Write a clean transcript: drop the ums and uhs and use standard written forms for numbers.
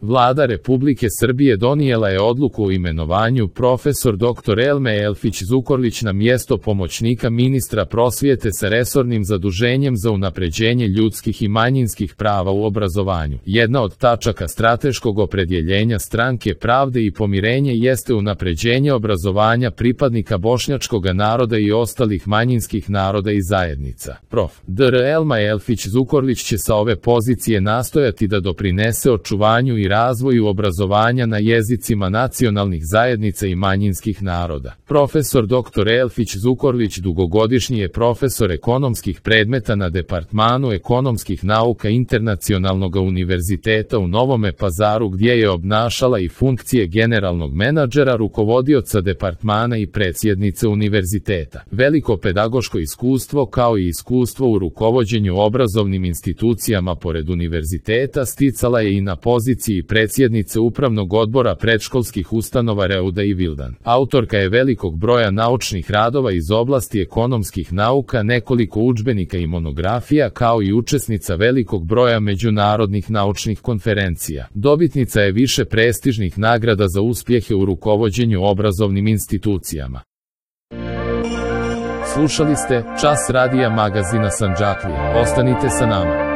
Vlada Republike Srbije donijela je odluku o imenovanju profesor dr. Elme Elfić Zukorlić na mjesto pomoćnika ministra prosvjete sa resornim zaduženjem za unapređenje ljudskih i manjinskih prava u obrazovanju. Jedna od tačaka strateškog opredjeljenja Stranke pravde i pomirenje jeste unapređenje obrazovanja pripadnika bošnjačkog naroda i ostalih manjinskih naroda i zajednica. Prof. dr. Elma Elfić Zukorlić će sa ove pozicije nastojati da doprinese očuvanju i razvoju obrazovanja na jezicima nacionalnih zajednica i manjinskih naroda. Profesor dr. Elfić Zukorlić dugogodišnji je profesor ekonomskih predmeta na Departmanu ekonomskih nauka Internacionalnog univerziteta u Novome Pazaru, gdje je obnašala i funkcije generalnog menadžera, rukovodioca departmana i predsjednice univerziteta. Veliko pedagoško iskustvo kao i iskustvo u rukovođenju obrazovnim institucijama pored univerziteta sticala je i na poziciji predsjednice Upravnog odbora predškolskih ustanova Reuda i Vildan. Autorka je velikog broja naučnih radova iz oblasti ekonomskih nauka, nekoliko udžbenika i monografija, kao i učesnica velikog broja međunarodnih naučnih konferencija. Dobitnica je više prestižnih nagrada za uspjehe u rukovođenju obrazovnim institucijama. Slušali ste Čas radija magazina Sandžaklije. Ostanite sa nama.